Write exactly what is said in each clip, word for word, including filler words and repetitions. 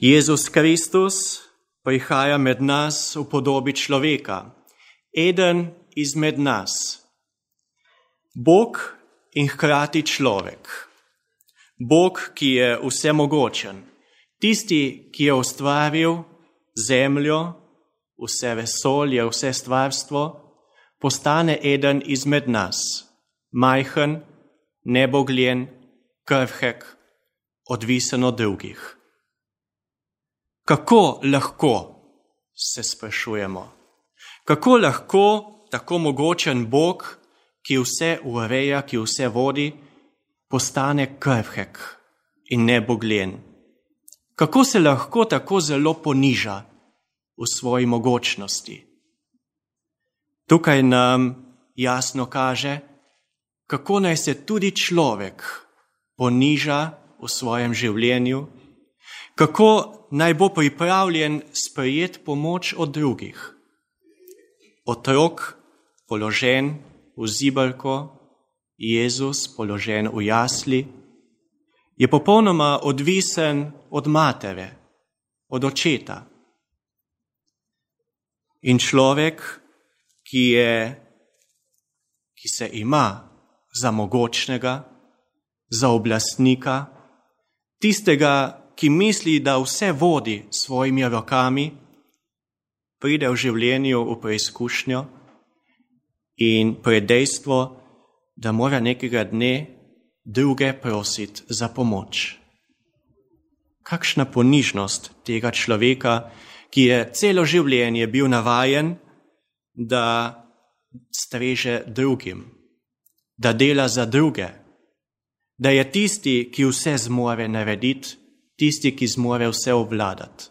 Jezus Kristus prihaja med nas v podobi človeka, eden izmed nas. Bog in hkrati človek. Bog, ki je vsemogočen, tisti, ki je ustvaril zemljo, vse vesolje, vse stvarstvo, postane eden izmed nas, majhen, nebogljen, krhek, odvisen od drugih. Kako lahko, se sprašujemo, kako lahko tako mogočen Bog, ki vse ureja, ki vse vodi, postane krhek in nebogljen? Kako se lahko tako zelo poniža v svoji mogočnosti? Tukaj nam jasno kaže, kako naj se tudi človek poniža v svojem življenju, kako naj bo pripravljen sprejeti pomoč od drugih. Otrok položen v zibelko, Jezus položen v jasli, je popolnoma odvisen od matere, od očeta. In človek, ki, je, ki se ima za mogočnega, za oblastnika, tistega, ki misli, da vse vodi s svojimi rokami, pride v življenju v preizkušnjo in pred dejstvo, da mora nekega dne druge prositi za pomoč. Kakšna ponižnost tega človeka, ki je celo življenje bil navajen, da streže drugim, da dela za druge, da je tisti, ki vse zmore narediti, tisti, ki zmore vse obvladati.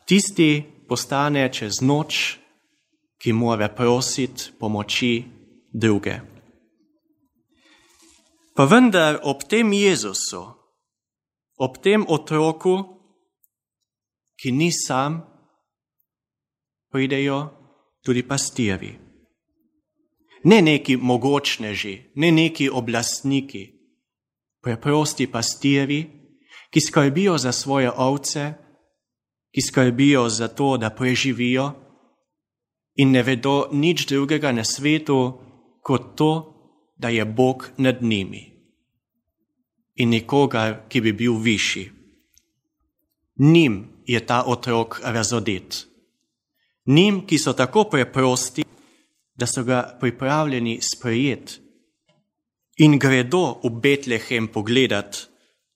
Tisti postane čez noč, ki mora prositi pomoči druge. Pa vendar ob tem Jezusu, ob tem otroku, ki ni sam, pridejo tudi pastirji. Ne neki mogočneži, ne neki oblastniki, preprosti pastirji, ki skrbijo za svoje ovce, ki skrbijo za to, da preživijo in ne vedo nič drugega na svetu, kot to, da je Bog nad njimi in nikogar, ki bi bil višji. Njim je ta otrok razodet. Njim, ki so tako preprosti, da so ga pripravljeni sprejeti in gredo v Betlehem pogledat,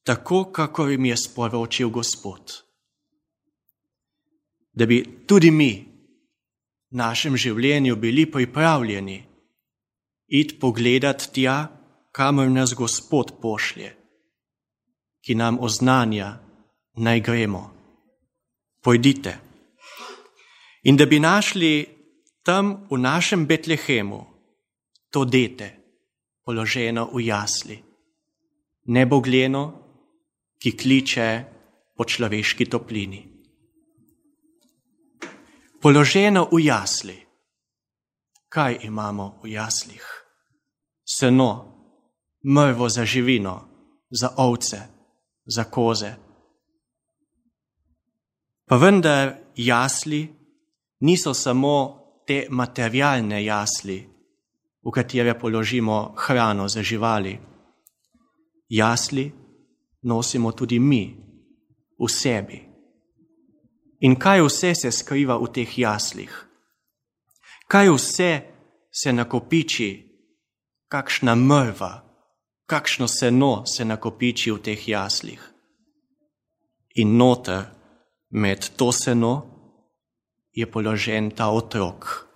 tako, kakor jim je sporočil Gospod. Da bi tudi mi v našem življenju bili pripravljeni iti pogledat tja, kamor nas Gospod pošlje, ki nam oznanja, naj gremo. Pojdite. In da bi našli tam v našem Betlehemu to dete, položeno v jasli, nebogljeno, ki kliče po človeški toplini. Položeno v jasli. Kaj imamo v jaslih? Seno, mrvo za živino, za ovce, za koze. Pa vendar jasli niso samo te materialne jasli, v katere položimo hrano za živali. Jasli nosimo tudi mi v sebi. In kaj vse se skriva v teh jaslih? Kaj vse se nakopiči, kakšna mrva, kakšno seno se nakopiči v teh jaslih? In noter med to seno je položen ta otrok,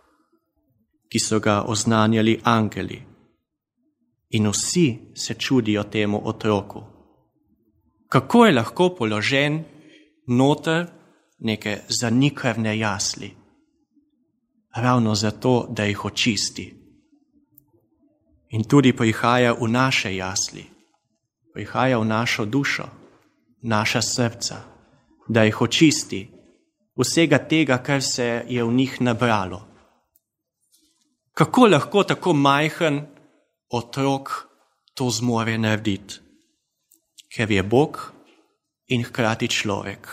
ki so ga oznanjali angeli. In vsi se čudijo temu otroku. Kako je lahko položen noter neke zanikrvne jasli? Ravno zato, da jih očisti. In tudi prihaja v naše jasli, prihaja v našo dušo, naša srca, da jih očisti vsega tega, kar se je v njih nabralo. Kako lahko tako majhen otrok to zmore narediti? Ker je Bog in hkrati človek.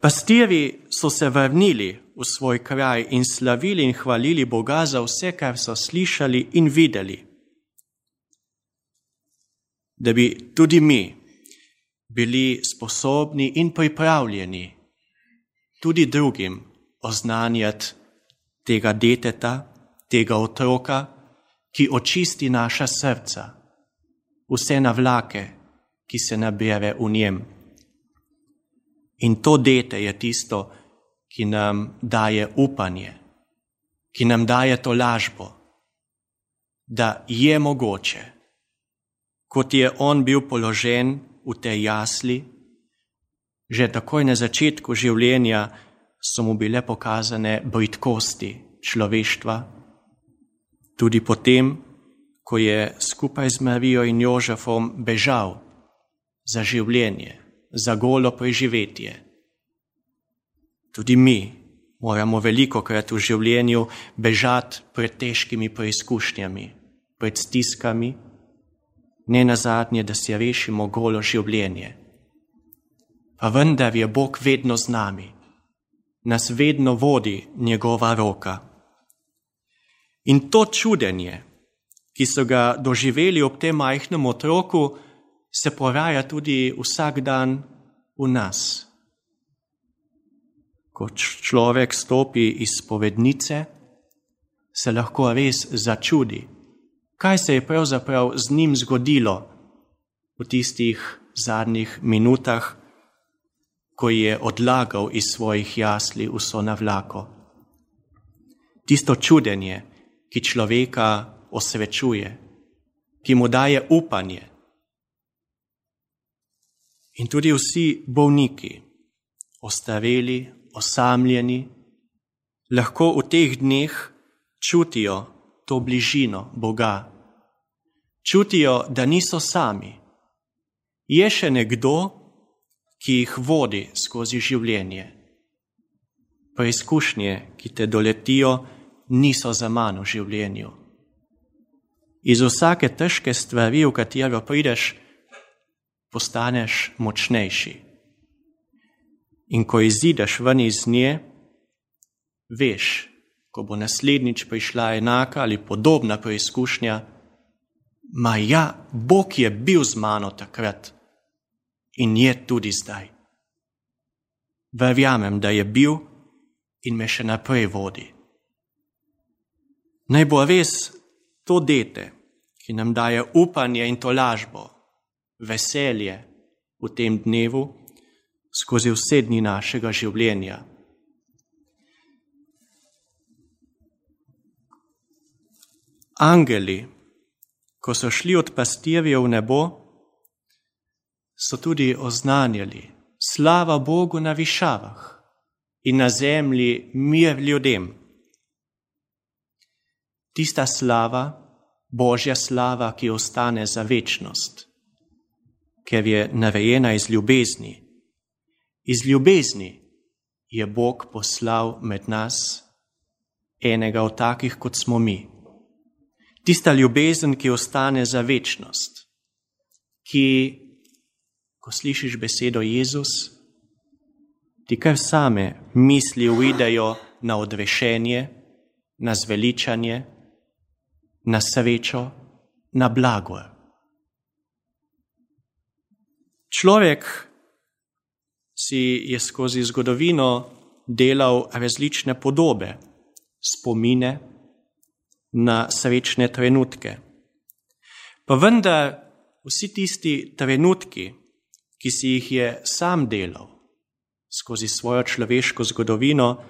Pastirji so se vrnili v svoj kraj in slavili in hvalili Boga za vse, kar so slišali in videli. Da bi tudi mi bili sposobni in pripravljeni tudi drugim oznanjati tega deteta, tega otroka, ki očisti naša srca, vse navlake, ki se nabere v njem. In to dete je tisto, ki nam daje upanje, ki nam daje to lažbo, da je mogoče, kot je on bil položen v tej jasli, že takoj na začetku življenja so mu bile pokazane bridkosti človeštva, tudi potem, ko je skupaj z Marijo in Jožefom bežal za življenje, za golo preživetje. Tudi mi moramo velikokrat v življenju bežati pred težkimi preizkušnjami, pred stiskami, ne nazadnje, da si rešimo golo življenje. Pa vendar je Bog vedno z nami, nas vedno vodi njegova roka. In to čudenje, ki so ga doživeli ob tem majhnem otroku, se poraja tudi vsak dan v nas. Ko človek stopi iz spovednice, se lahko res začudi, kaj se je pravzaprav z njim zgodilo v tistih zadnjih minutah, ko je odlagal iz svojih jasli vso navlako. Tisto čudenje, ki človeka osrečuje, ki mu daje upanje. In tudi vsi bolniki, ostareli, osamljeni, lahko v teh dneh čutijo to bližino Boga. Čutijo, da niso sami. Je še nekdo, ki jih vodi skozi življenje. Preizkušnje, ki te doletijo, niso zaman v življenju. Iz vsake težke stvari, v katero prideš, postaneš močnejši. In ko izideš ven iz nje, veš, ko bo naslednjič prišla enaka ali podobna preizkušnja, ma ja, Bog je bil z mano takrat in je tudi zdaj. Verjamem, da je bil in me še naprej vodi. Naj bo res to dete, ki nam daje upanje in tolažbo, veselje v tem dnevu skozi vse dni našega življenja. Angeli, ko so šli od pastirjev v nebo, so tudi oznanjali slava Bogu na višavah in na zemlji mir ljudem. Tista slava, Božja slava, ki ostane za večnost, ker je narejena iz ljubezni. Iz ljubezni je Bog poslal med nas enega od takih, kot smo mi. Tista ljubezen, ki ostane za večnost, ki, ko slišiš besedo Jezus, ti kar same misli uidejo na odrešenje, na zveličanje, na srečo, na blagor. Človek si je skozi zgodovino delal različne podobe, spomine na srečne trenutke. Pa vendar vsi tisti trenutki, ki si jih je sam delal skozi svojo človeško zgodovino,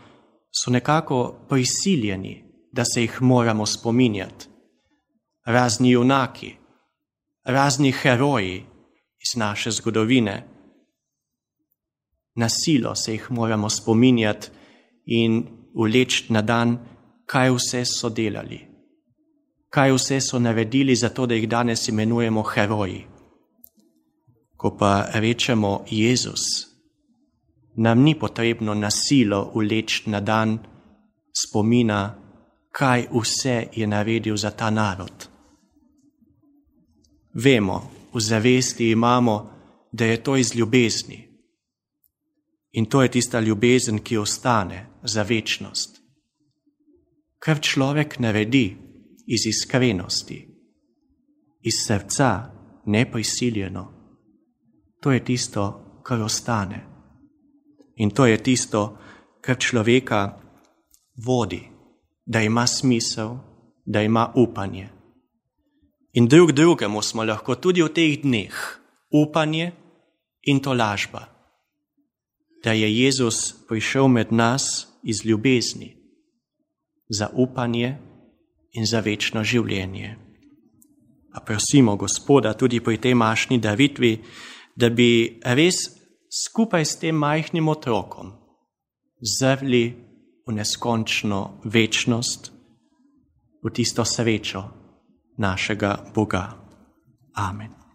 so nekako prisiljeni, da se jih moramo spominjati. Razni junaki, razni heroji iz naše zgodovine. Na silo se jih moramo spominjati in vleči na dan, kaj vse so delali, kaj vse so naredili za to, da jih danes imenujemo heroji. Ko pa rečemo Jezus, nam ni potrebno na silo vleči na dan spomina, kaj vse je naredil za ta narod. Vemo, v zavesti imamo, da je to iz ljubezni. In to je tista ljubezen, ki ostane za večnost. Kar človek naredi iz iskrenosti, iz srca, neprisiljeno, to je tisto, kar ostane. In to je tisto, kar človeka vodi, da ima smisel, da ima upanje. In drug drugemu smo lahko tudi v teh dneh upanje in tolažba, da je Jezus prišel med nas iz ljubezni za upanje in za večno življenje. Pa prosimo Gospoda tudi pri tej mašni daritvi, da bi res skupaj s tem majhnim otrokom zrli v neskončno večnost, v tisto srečo našega Boga. Amen.